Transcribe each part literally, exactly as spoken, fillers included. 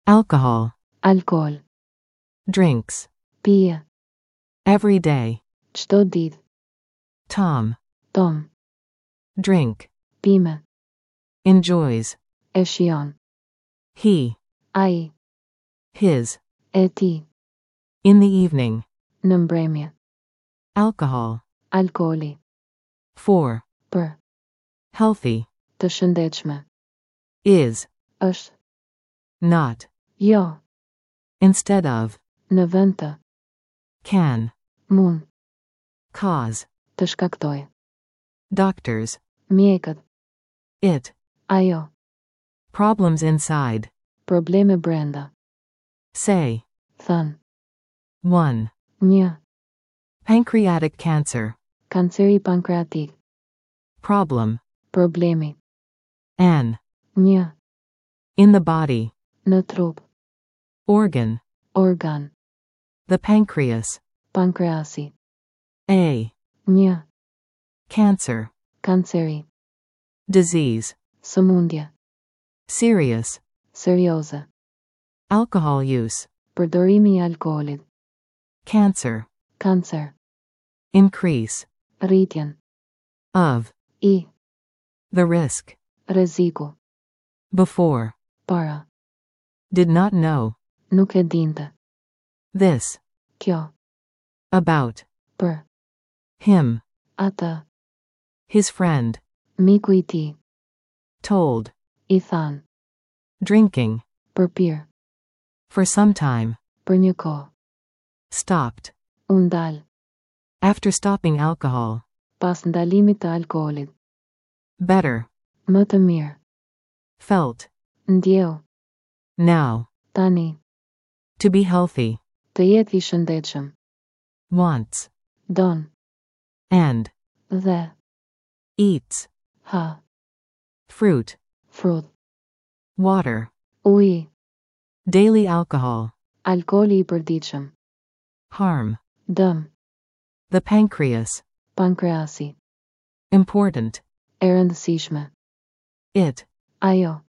Alcohol. Alkool. Drinks. Pije. Every day. Çdo ditë. Tom. Tom. Drink. Pime. Enjoys. E shijon. He. Ai. His. E tij. In the evening. Në mbrëmje. Alcohol. Alkooli. For. Për. Healthy. Të shëndetshme. Is. Është. Not. Jo. Instead of. Në vend të. Can. Mund. Cause. Të shkaktojë. Doctors. Mjekët. It. Ajo. Problems inside. Probleme brenda. Say. Thënë. One. Një. Pancreatic cancer. Kanceri pankreatik. Problem. Problemi. An. Një. In the body. Në trup. Organ. Organ. The pancreas. Pankreasi. A. Një. Cancer. Kanceri. Disease. Sëmundje. Serious. Serioze. Alcohol use. Përdorimi i alkoolit. Cancer. Kancer. Increase. Rritjen. Of. I. The risk. Rreziku. Before. Para. Did not know. Nuk e dinte. This. Kjo. About. Për. Him. Atë. His friend. Miku i tij. Told. I thanë. Drinking. Për pirë. For some time. Për një kohë. Stopped. U ndal. After stopping alcohol. Pas ndalimit të alkoolit. Better. Më të mirë. Felt. Ndjeu. Now. Tani. To be healthy. Të jetë i shëndetshëm. Wants. Don. And. Dhe. Eats. Ha. Fruit. Frut. Water. Uji. Daily alcohol. Alkooli i përditshëm. Harm. Dëm. The pancreas. Pankreasi. Important. E rëndësishme. It. Ajo.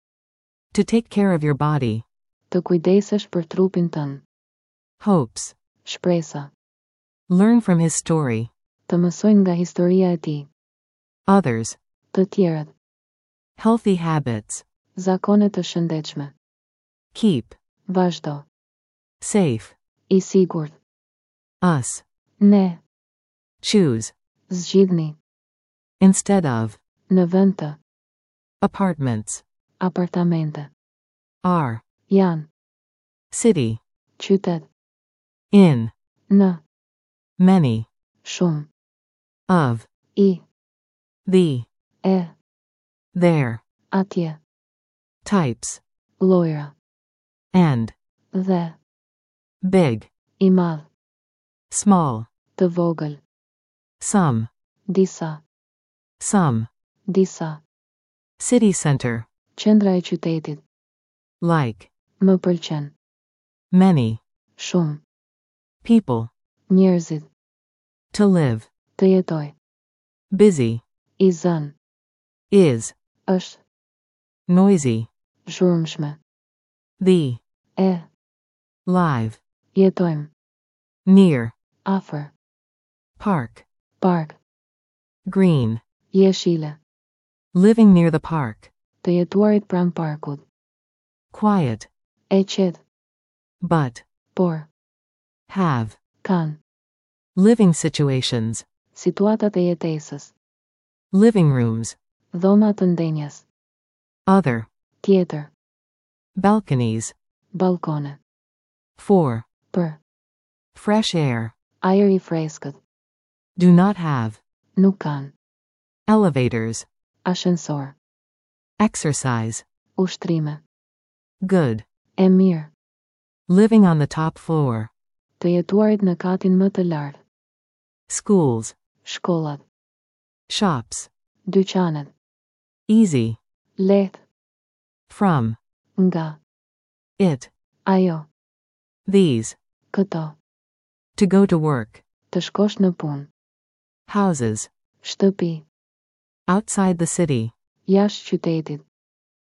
To take care of your body. Të kujdesesh për trupin tënd. Hopes. Shpresa. Learn from his story. Të mësojnë nga historia e tij. Others. Të tjerët. Healthy habits. Zakone të shëndetshme. Keep. Vazhdo. Safe. I sigurt. Us. Ne. Choose. Zgjidhni. Instead of. Në vend të. Apartments. Apartamente. Are. Janë. City. Qytet. In. Në. Many. Shumë. Of. I. The. E. There. Atje. Types. Llojra. And. Dhe. Big. I madh. Small. Të vogël. Some. Disa. Some. Disa. City center. Qendra e qytetit. Like. Më pëlqen. Many. Shumë. People. Njerëzit. To live. Të jetoj. Busy. I zënë. Is. Është. Noisy. Zhurmshme. The. E. Live. Jetojmë. Near. Afër. Park. Park. Green. Jeshile. Living near the park. Të jetuarit pranë parkut. Quiet. E qetë. But. Por. Have. Kanë. Living situations. Situatat e jetesës. Living rooms. Dhoma të ndenjes. Other. Tjetër. Balconies. Balkone. For. Për. Fresh air. Ajër i freskët. Do not have. Nuk kanë. Elevators. Ashensor. Exercise. Ushtrime. Good. E mirë. Living on the top floor. Të jetuarit në katin më të lartë. Schools. Shkollat. Shops. Dyqanet. Easy. Lehtë. From. Nga. It. Ajo. These. Këto. To go to work. Të shkosh në punë. Houses. Shtëpi. Outside the city. Jashtë qytetit.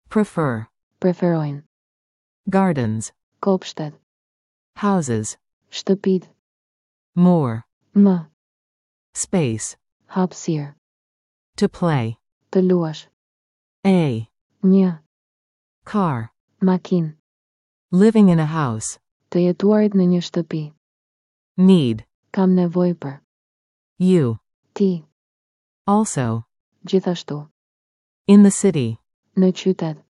Prefer. Preferojnë. Gardens. Kopshtet. Houses. Shtëpit. More. Më. Space. Hapësirë. To play. Të luash. A. Një. Car. Makinë. Living in a house. Të jetuarit në një shtëpi. Need. Kam nevojë për. You. Ti. Also. Gjithashtu. In the city. Në qytet.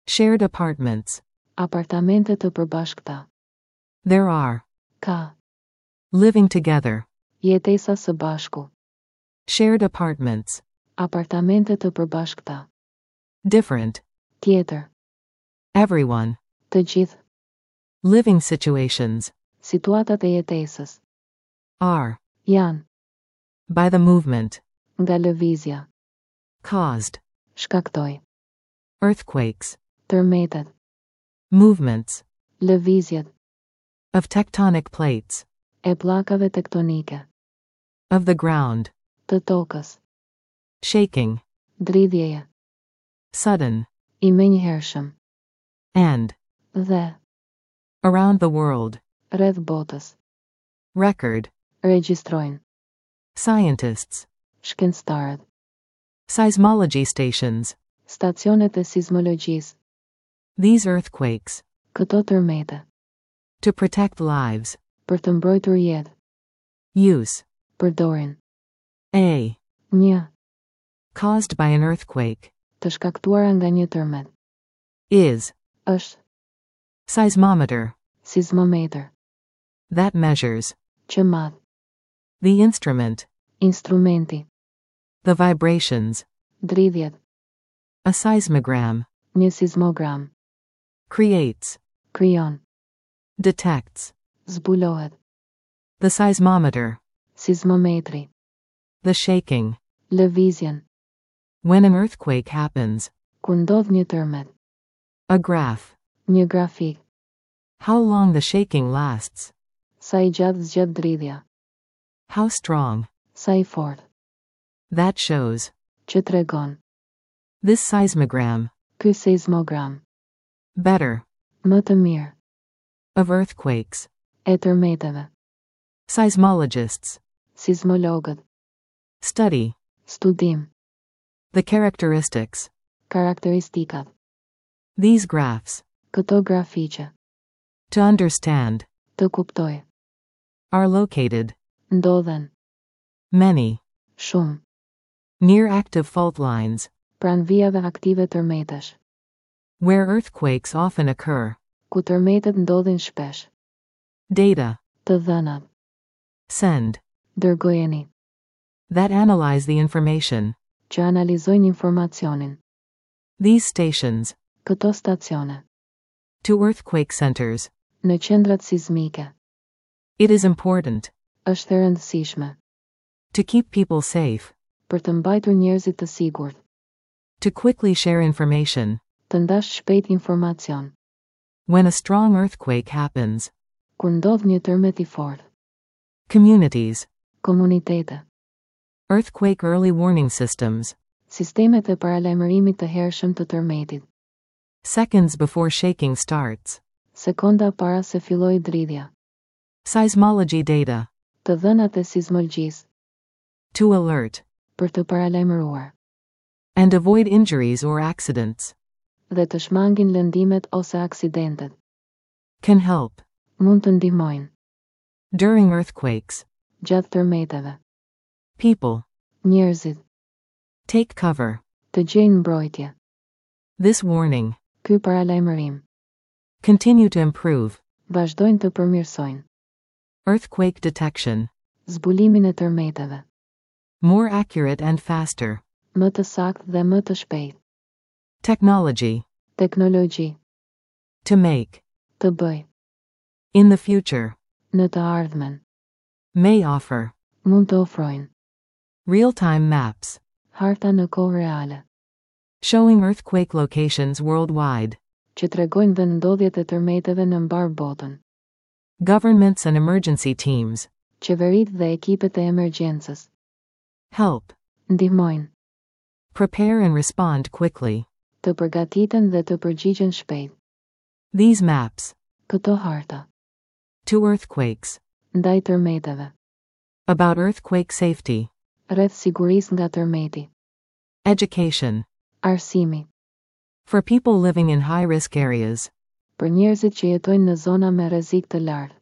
Shared apartments. Apartamente të përbashkëta. There are. Ka. Living together. Jetesa së bashku. Shared apartments. Apartamente të përbashkëta. Different. Tjetër. Everyone. Të gjithë. Living situations. Situatat e jetesës. Are. Janë. By the movement. Nga lëvizja. Caused. Shkaktoi. Earthquakes. Tërmetet. Movements. Lëvizjet. Of tectonic plates. E pllakave tektonike. Of the ground. Të tokës. Shaking. Dridhjeje. Sudden. I menjëhershëm. And. Dhe. Around the world. Rreth botës. Record. Regjistrojnë. Scientists. Shkencëtarët. Seismology stations. Stacionet e sizmologjisë. These earthquakes. Këto tërmete. To protect lives. Për të mbrojtur jetë. Use. Përdorin. A. Një. Caused by an earthquake. Të shkaktuara nga një tërmet. Is. Është. Seismometer. Sizmometër. That measures. Që mat. The instrument. Instrumenti. The vibrations. Dridhjet. A seismogram. Një sizmogram. Creates. Krijon. Detects. Zbulohet. The seismometer. Sizmometri. The shaking. Lëvizjen. When an earthquake happens. Kur ndodh një tërmet. A graph. Një grafik. How long the shaking lasts. Sa i gjatë zgjat dridhja. How strong. Sa i fortë. That shows. Që tregon. This seismogram. Ky seismogram. Better. Më të mirë. Of earthquakes. E tërmeteve. Seismologists. Sizmologët. Study. Studim. The characteristics. Karakteristikat. These graphs. Këto grafiqe. To understand. Të kuptoj. Are located. Ndodhen. Many. Shumë. Near active fault lines. Pranë vijave aktive tërmetesh. Where earthquakes often occur. Ku tërmetet ndodhin shpesh. Data. Të dhënat. Send. Dërgojeni. That analyze the information. Që analizojnë informacionin. These stations. Këto stacione. To earthquake centers. Në qendrat sizmike. It is important. Është e rëndësishme. To keep people safe. Për të mbajtur njerëzit të sigurt. To quickly share information. Të ndash shpejt informacion. When a strong earthquake happens. Kur ndodh një tërmet i fortë. Communities. Komunitete. Earthquake early warning systems. Sistemet e paralajmërimit të hershëm të tërmetit. Seconds before shaking starts. Sekonda para se filloi dridhja. Seismology data. Të dhënat e sizmologjisë. To alert. Për të paralajmëruar. And avoid injuries or accidents. Dhe të shmangin lëndimet ose aksidentet. Can help. Mund të ndihmojnë. During earthquakes. Gjatë tërmeteve. People. Njerëzit. Take cover. Të gjejnë mbrojtje. This warning. Ky paralajmërim. Continue to improve. Vazhdojnë të përmirësojnë. Earthquake detection. Zbulimin e tërmeteve. More accurate and faster. Më të saktë dhe më të shpejtë. Technology. Teknologji. To make. Të bëj. In the future. Në të ardhmen. May offer. Mund të ofrojnë. Real-time maps. Harta në kohë reale. Showing earthquake locations worldwide. Që tregojnë vendndodhjet e tërmeteve në mbarë botën. Governments and emergency teams. Qeveritë dhe ekipet e emergjencës. Help. Ndihmojnë. Prepare and respond quickly. Të përgatiten dhe të përgjigjen shpejt. These maps. Këto harta. To earthquakes. Ndaj tërmeteve. About earthquake safety. Rreth sigurisë nga tërmeti. Education. Arsimi. For people living in high risk areas. Për njerëzit që jetojnë në zona me rrezik të lartë.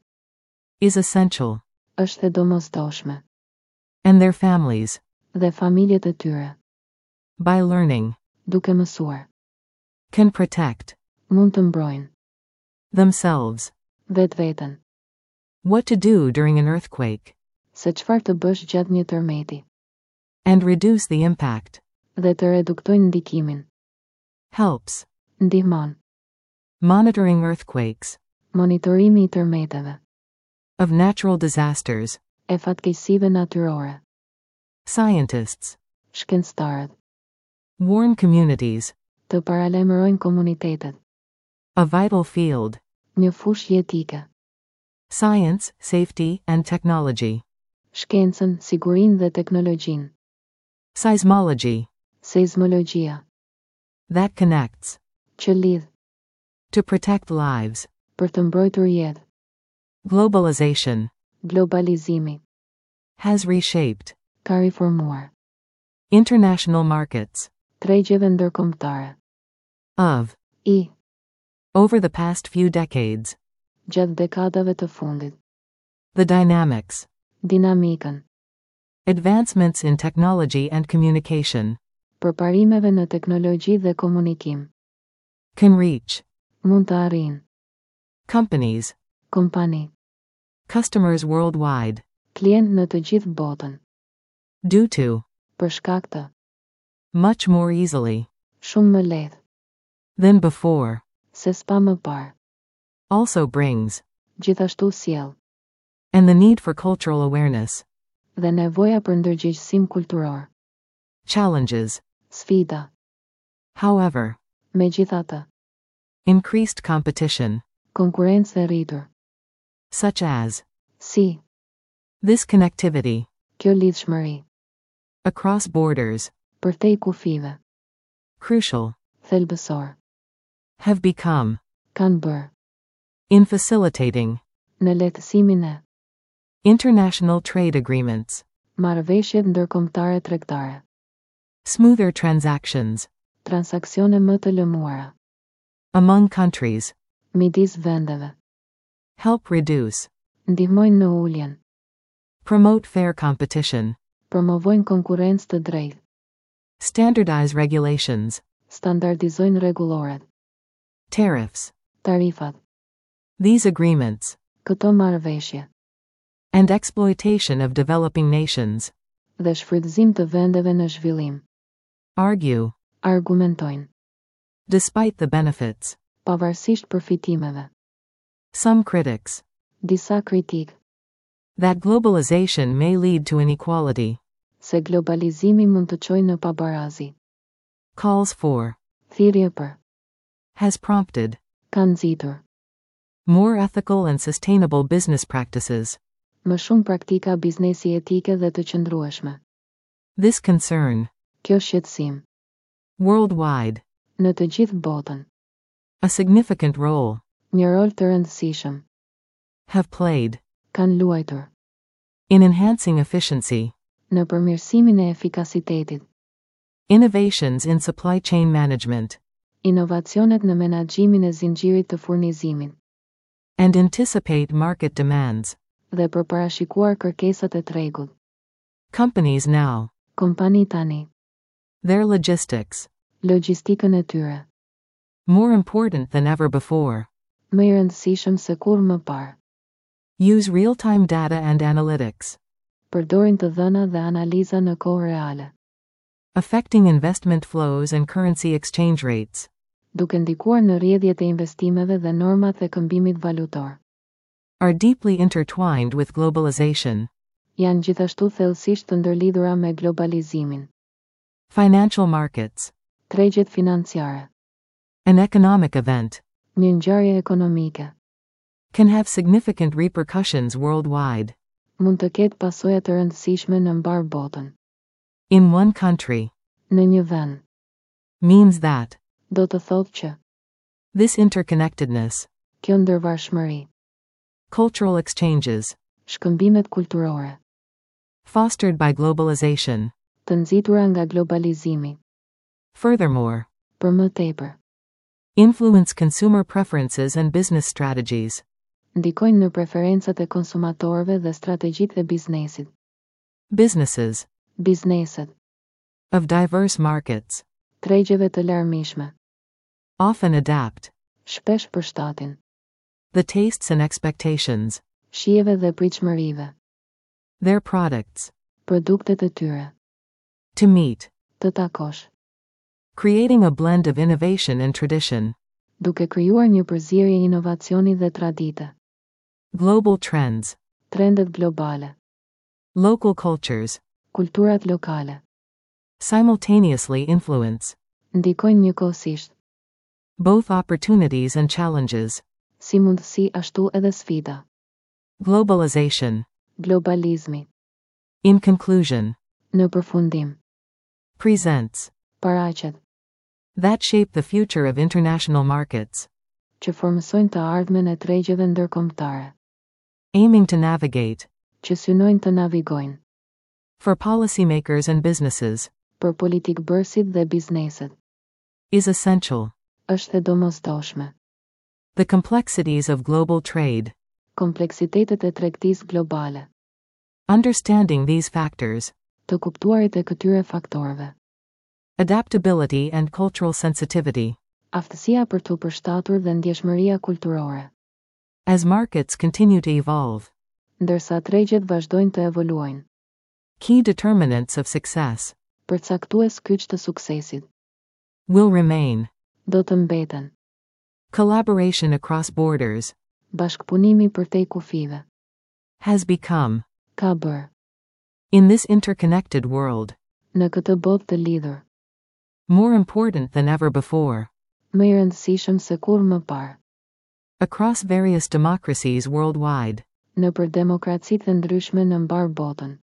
Is essential. Është e domosdoshme. And their families. Dhe familjet e tyre. By learning. Duke mësuar. Can protect. Mund të mbrojnë. Themselves. Vetveten. What to do during an earthquake. Se çfarë të bësh gjatë një tërmeti. And reduce the impact. Dhe të reduktojnë ndikimin. Helps. Ndihmon. Monitoring earthquakes. Monitorimi i tërmeteve. Of natural disasters. E fatkeqësive natyrore. Scientists. Shkencëtarët. Warn communities. Të paralajmërojnë komunitetet. A vital field. Një fushë jetike. Science, safety, and technology. Shkencën, sigurinë dhe teknologjinë. Seismology. Seizmologjia. That connects. Që lidh. To protect lives. Për të mbrojtur jetë. Globalization. Globalizimi. Has reshaped. Ka riformuar. International markets. Tregjeve ndërkombëtare. Of. I. Over the past few decades. Gjatë dekadave të fundit. The dynamics. Dinamikën. Advancements in technology and communication. Përparimeve në teknologji dhe komunikim. Can reach. Mund të arrijnë. Companies. Kompani. Customers worldwide. Klient në të gjithë botën. Due to. Për shkak të. Much more easily. Shumë më lehtë. Than before. Se sa më parë. Also brings. Gjithashtu sjell. And the need for cultural awareness. Dhe nevoja për ndërgjegjësim kulturor. Challenges. Sfida. However. Megjithatë. Increased competition. Konkurrencë e rritur. Such as. Si. This connectivity. Kjo lidhshmëri. Across borders. Përtej kufive. Crucial. Thelbësor. Have become. Kanë bërë. In facilitating. Në lehtësimin e. International trade agreements. Marrëveshjet ndërkombëtare tregtare. Smoother transactions. Transaksione më të lëmuara. Among countries. Midis vendeve. Help reduce. Ndihmojnë në uljen. Promote fair competition. Promovojnë konkurrencë të drejtë. Standardize regulations. Standardizojnë rregulloret. Tariffs. Tarifat. These agreements. Këto marrëveshje. And exploitation of developing nations. Dhe shfrytëzim të vendeve në zhvillim. Argue. Argumentojnë. Despite the benefits. Pavarësisht përfitimeve. Some critics. Disa kritikë. That globalization may lead to inequality. Se globalizimi mund të çojë në pabarazi. Calls for. Thirrje për. Has prompted. Ka nxitur. More ethical and sustainable business practices. Më shumë praktika biznesi etike dhe të qëndrueshme. This concern. Kjo shqetësim. Worldwide. Në të gjithë botën. A significant role. Një rol të rëndësishëm. Have played. Kanë luajtur. In enhancing efficiency. Në përmirësimin e efikasitetit. Innovations in supply chain management. Inovacionet në menaxhimin e zinxhirit të furnizimit. And anticipate market demands. Dhe për parashikuar kërkesat e tregut. Companies now. Kompani tani. Their logistics. Logjistikën e tyre. More important than ever before. Më i rëndësishëm se kurrë më parë. Use real-time data and analytics. Përdorin të dhëna dhe analiza në kohë reale. Affecting investment flows and currency exchange rates. Duke ndikuar në rrjedhjet e investimeve dhe normat e këmbimit valutor. Are deeply intertwined with globalization. Janë gjithashtu thellësisht të ndërlidhura me globalizimin. Financial markets. Tregjet financiare. An economic event. Një ngjarje ekonomike. Can have significant repercussions worldwide. Mund të ketë pasoja të rëndësishme në mbarë botën. In one country. Në një vend. Means that. Do të thotë që. This interconnectedness, Kjo ndërvarshmëri. cultural exchanges, Shkëmbimet kulturore. fostered by globalization. Të nxitura nga globalizimi. Furthermore, Për më tepër. influence consumer preferences and business strategies. Ndikojnë në preferencat e konsumatorëve dhe strategjitë e biznesit. Businesses Bizneset. of diverse markets Tregjeve të larmishme. often adapt Shpesh përshtatin. the tastes and expectations, Shijeve dhe pritshmërive. their products, Produktet e tyre. to meet, Të takosh. creating a blend of innovation and tradition. Duke krijuar një përzierje inovacioni dhe tradite. Global trends, Trendet globale. local cultures, Kulturat lokale. simultaneously influence Ndikojnë njëkohësisht, both opportunities and challenges. si mundësi ashtu edhe sfida. Globalization. Globalizmi. In conclusion, Në përfundim, presents paraqet that shape the future of international markets, që formësojnë të ardhmen e tregjeve ndërkombëtare, aiming to navigate që synojnë të navigojnë for policymakers and businesses për politikbërësit dhe bizneset. is essential. Është e domosdoshme. The complexities of global trade. Kompleksitetet e tregtisë globale, Understanding these factors, të kuptuarit e këtyre faktorëve, adaptability and cultural sensitivity, aftësia për t'u përshtatur dhe ndjeshmëria kulturore, as markets continue to evolve, ndërsa tregjet vazhdojnë të evoluojnë, key determinants of success përcaktues kyç të suksesit, will remain do të mbeten, collaboration across borders bashkëpunimi përtej kufive, has become ka bërë, in this interconnected world në këtë botë të lidhur, more important than ever before më i rëndësishëm se kurrë më parë, across various democracies worldwide nëpër demokracitë e ndryshme në mbarë botën,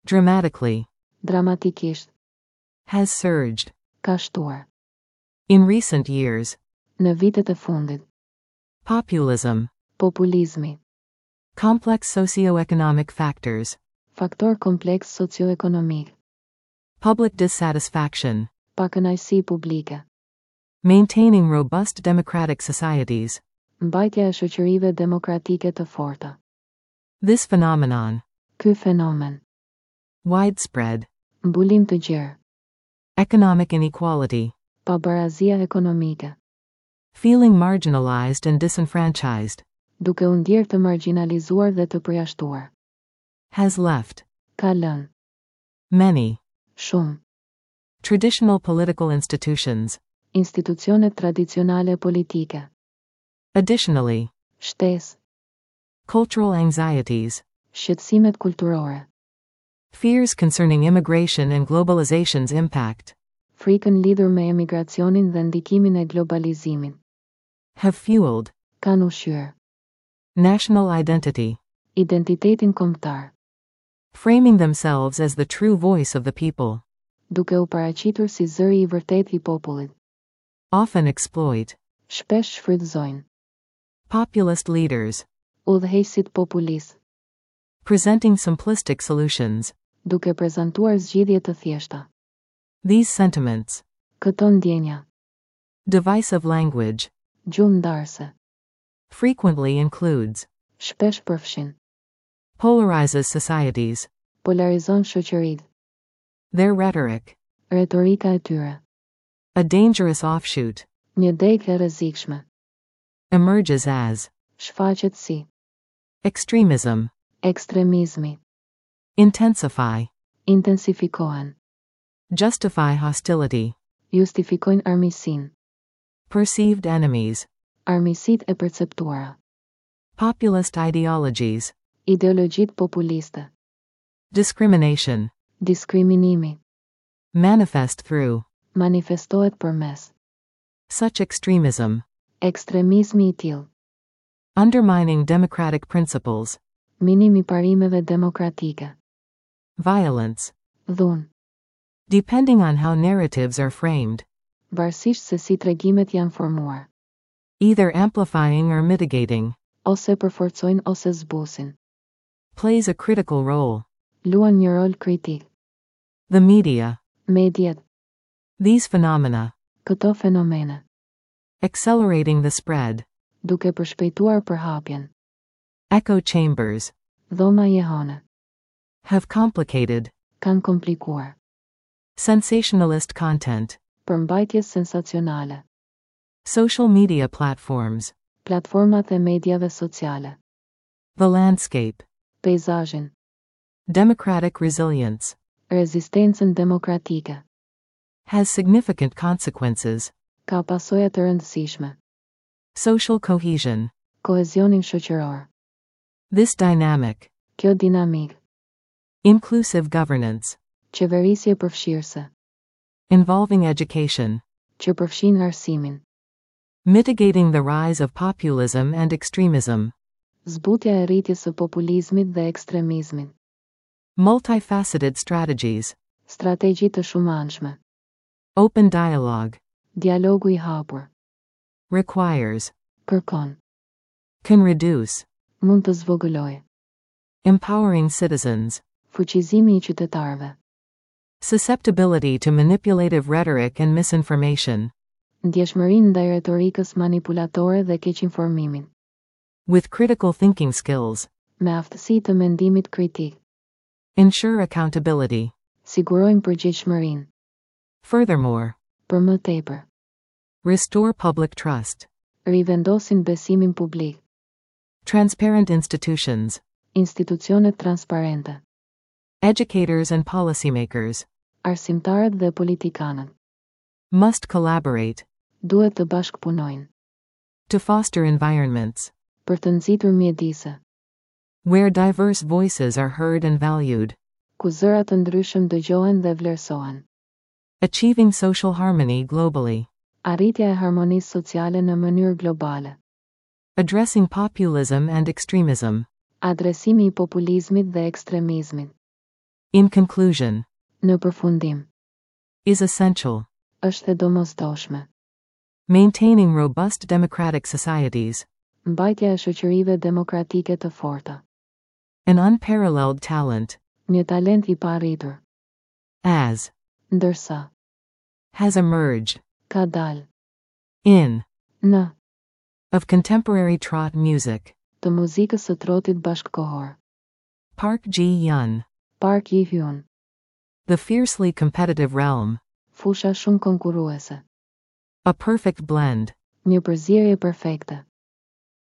dramatically dramatikisht, has surged ka shtuar, in recent years në vitet e fundit, populism populizmi, complex socioeconomic factors faktor kompleks socioekonomik, public dissatisfaction pakënaqësi publike, maintaining robust democratic societies mbajtja e shoqërive demokratike të forta. this phenomenon Ky fenomen, widespread mbulim të gjerë, economic inequality pabarazia ekonomike, feeling marginalized and disenfranchised duke u ndjerë të marginalizuar dhe të përjashtuar, has left ka lënë, many shumë, traditional political institutions institucionet tradicionale politike, additionally shtesë, cultural anxieties shqetësimet kulturore, fears concerning immigration and globalization's impact frikën lidhur me emigracionin dhe ndikimin e globalizimit, have fueled kanë ushqyer national identity identitetin kombëtar, framing themselves as the true voice of the people duke u paraqitur si zëri i vërtetë i popullit. often exploit Shpesh shfrytëzojnë populist leaders udhëheqësit populist, presenting simplistic solutions duke prezantuar zgjidhje të thjeshta. these sentiments Këto ndjenja, divisive language gjuhë ndarëse, frequently includes shpesh përfshin, polarizes societies polarizon shoqëritë, their rhetoric retorika e tyre, a dangerous offshoot një degë e rrezikshme, emerges as shfaqet si extremism ekstremizmi, intensify intensifikohen, justify hostility justifikojnë armiqësinë, perceived enemies armiqësitë e perceptuara, populist ideologies ideologjitë populiste, discrimination diskriminimi, manifest through manifestohet përmes such extremism ekstremizmi i tillë, undermining democratic principles minimi parimeve demokratike, violence dhunë, depending on how narratives are framed varësisht se si tregimet janë formuar. Either amplifying or mitigating. Ose përforcojnë ose zbusin. Plays a critical role. Luan një rol kritik. The media. Mediat. These phenomena. Këto fenomene. Accelerating the spread. Duke përshpejtuar përhapjen. Echo chambers. Dhoma jehone. Have complicated. Kanë komplikuar. Sensationalist content. Përmbajtje sensacionale. Social media platforms. Platformat e mediave sociale. The landscape. Peizazhin. Democratic resilience. Rezistencën demokratike. Has significant consequences. Ka pasoja të rëndësishme. Social cohesion. Kohezionin shoqëror. This dynamic. Kjo dinamikë. Inclusive governance. Qeverisje përfshirëse. Involving education. Që përfshin arsimin. Mitigating the rise of populism and extremism. Zbutja e rritjes së populizmit dhe ekstremizmit. Multifaceted strategies. Strategji të shumanshme. Open dialogue. Dialogu i hapur. Requires. Kërkon. Can reduce. Mund të zvogëlojë. Empowering citizens. Fuqizimi i qytetarëve. Susceptibility to manipulative rhetoric and misinformation. Ndjeshmërinë ndaj retorikës manipulatore dhe keqinformimit. With critical thinking skills. Me aftësi të mendimit kritik. Ensure accountability. Sigurojnë përgjegjshmërinë. Furthermore. Për më tepër. Restore public trust. Rivendosin besimin publik. Transparent institutions. Institucionet transparente. Educators and policymakers. Arsimtarët dhe politikanët. Must collaborate. Duhet të bashkëpunojnë. To foster environments. Për të nxitur mjedise. Where diverse voices are heard and valued. Ku zëra të ndryshëm dëgjohen dhe vlerësohen. Achieving social harmony globally. Arritja e harmonisë sociale në mënyrë globale. Addressing populism and extremism. Adresimi i populizmit dhe ekstremizmit. In conclusion. Në përfundim. Is essential. Është e domosdoshme. Maintaining robust democratic societies. Mbajtja e shoqërive demokratike të forta. An unparalleled talent. Një talent i paarritur. As. Ndërsa. Has emerged. Ka dalë. In. Në. Of contemporary trot music. Të muzikës së trotit bashkëkohor. Park Ji-yoon. Park Ji-hyun. The fiercely competitive realm. Fusha shumë konkurruese. A perfect blend. Një përzierje perfekte.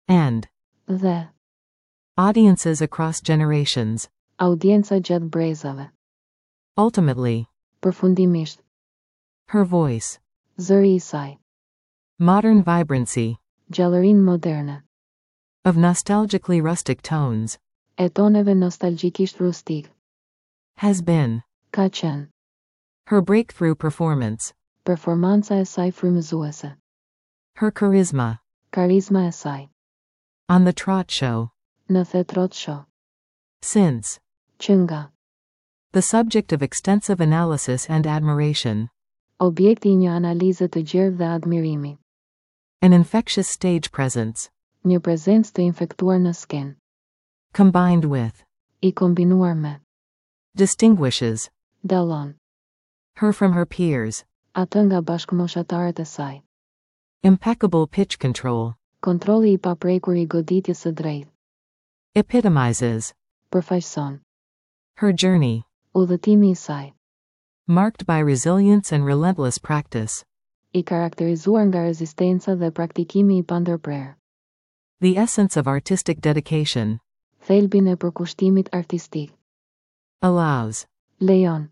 And. Dhe. Audiences across generations. Audienca gjatë brezave. Ultimately. Përfundimisht. Her voice. Zëri i saj. Modern vibrancy. Gjallërinë moderne. Of nostalgically rustic tones. E toneve nostalgjikisht rustik. Has been. Ka qenë. Her breakthrough performance. Performanca e saj frymëzuese. Her charisma. Karizma e saj. On the Trot Show. Në The Trot Show. Since. Që nga. The subject of extensive analysis and admiration. Objekti i një analize të gjerë dhe admirimi. An infectious stage presence. Një prezencë të infektuar në skenë. Combined with. I kombinuar me. Distinguishes. Dallon. Her from her peers. Atë nga bashkëmoshatarët e saj. Impeccable pitch control. Kontrolli i paprekur i goditjes së drejtë. Epitomizes. Përfaqëson. Her journey. Udhëtimi i saj. Marked by resilience and relentless practice. I karakterizuar nga rezistenca dhe praktikimi i pandërprerë. The essence of artistic dedication. Thelbin e përkushtimit artistik. Allows. Lejon.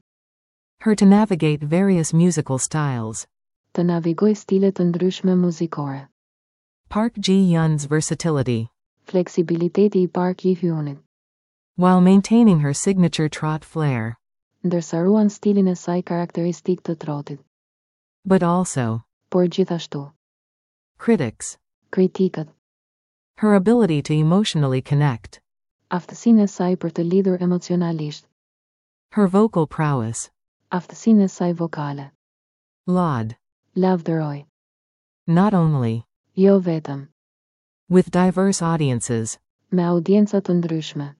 Her to navigate various musical styles. Të navigojë stile të ndryshme muzikore. Park Ji-yoon's versatility. Fleksibiliteti i Park Ji-hyunit. While maintaining her signature trot flair. Ndërsa ruan stilin e saj karakteristik të trotit. But also. Por gjithashtu. Critics. Kritikët. Her ability to emotionally connect. Aftësinë e saj për të lidhur emocionalisht. Her vocal prowess. Aftësinë e saj vokale. Laud. Lavdëroi. Not only. Jo vetëm. With diverse audiences. Me audienca të ndryshme.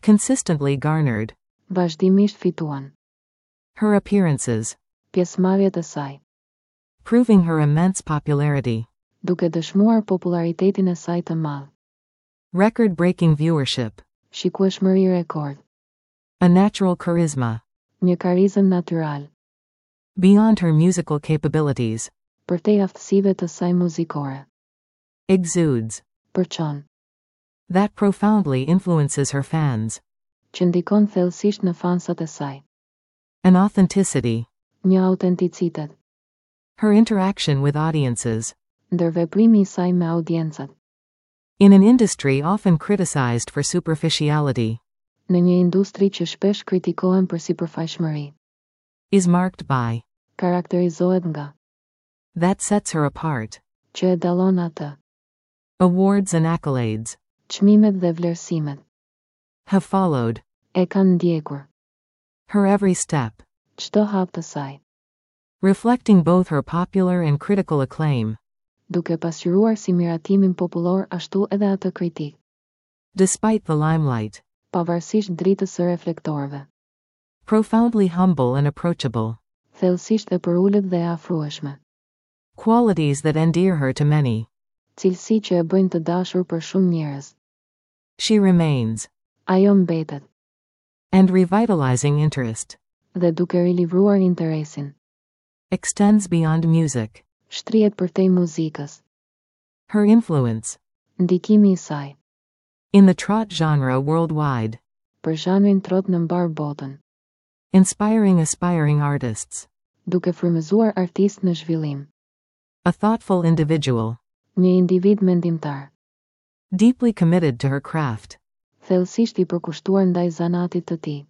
Consistently garnered. Vazhdimisht fituan. Her appearances. Pjesëmarrjet e saj. Proving her immense popularity. Duke dëshmuar popularitetin e saj të madh. Record breaking viewership. Shikueshmëri rekord. A natural charisma. Një karizëm natyral. Beyond her musical capabilities. Përtej aftësive të saj muzikore. Exudes. Përçon. That profoundly influences her fans. Që ndikon thellësisht në fansat e saj. An authenticity. Një autenticitet. Her interaction with audiences. Ndërveprimi i saj me audiencat. In an industry often criticized for superficiality. Në një industri që shpesh kritikohen për sipërfaqshmëri. Is marked by. Karakterizohet nga. That sets her apart. Që e dallon atë. Awards and accolades. Çmimet dhe vlerësimet. Have followed. E kanë ndjekur. Her every step. Çdo hap të saj. Reflecting both her popular and critical acclaim. Duke pasqyruar si miratimin popullor ashtu edhe atë kritik. Despite the limelight. Pavarësisht dritës së reflektorëve. Profoundly humble and approachable. Thellësisht e përulët dhe e afrueshme. Qualities that endear her to many. Cilësi që e bëjnë të dashur për shumë njerëz. She remains. Ajo mbetet. And revitalizing interest. Dhe duke rilivruar interesin. Extends beyond music. Shtrihet përtej muzikës. Her influence. Ndikimi i saj. In the trot genre worldwide. Për zhanrin trot në mbarë botën. Inspiring aspiring artists. Duke frymëzuar artistë në zhvillim. A thoughtful individual. Një individ mendimtar. Deeply committed to her craft. Thellësisht i përkushtuar ndaj zanatit të tij.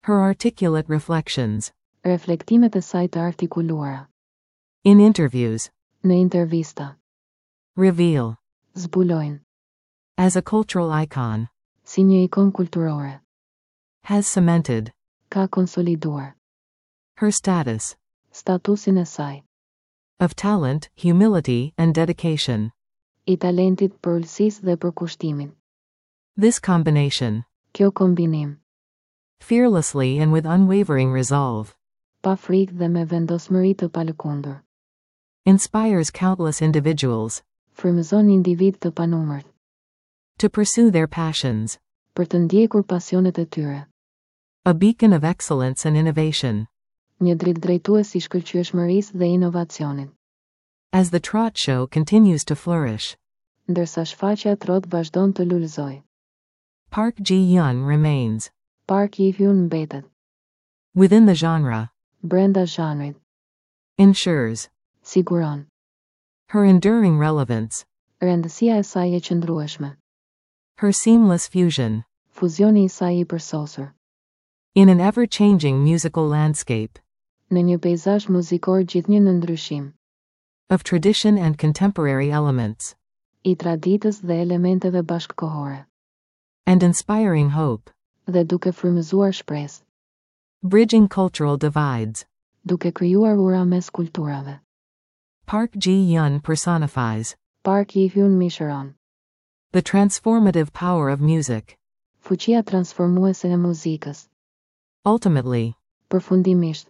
Her articulate reflections. Reflektimet e saj të artikuluara. In interviews. Në intervista. Reveal. Zbulojnë. As a cultural icon. Si një ikon kulturore. Has cemented. Ka konsoliduar. Her status. Statusin e saj. Of talent, humility, and dedication. I talentit, përulësisë dhe përkushtimit. This combination. Kjo kombinim. Fearlessly and with unwavering resolve. Pa frikë dhe me vendosmëri të palëkundur. Inspires countless individuals. Frymëzon individ të panumërt. To pursue their passions. Për të ndjekur pasionet e tyre. A beacon of excellence and innovation. Një dritë drejtues i shkëlqyeshmërisë dhe inovacionit. As the trot show continues to flourish. Ndërsa shfaqja trot vazhdon të lulëzojë. Park Ji-yoon remains. Park Ji-hyun mbetet. Within the genre. Brenda zhanrit. Ensures. Siguron. Her enduring relevance. Rëndësia e saj e qëndrueshme. Her seamless fusion. Fuzioni i saj i përsosur. In an ever-changing musical landscape. Në një peizazh muzikor gjithnjë në ndryshim. Of tradition and contemporary elements. I traditës dhe elementeve bashkëkohore. And inspiring hope. Dhe duke frymëzuar shpresë. Bridging cultural divides. Duke krijuar ura mes kulturave. Park Ji-yoon personifies. Park Ji-hyun mishëron. The transformative power of music. Fuqia transformuese e muzikës. Ultimately. Përfundimisht.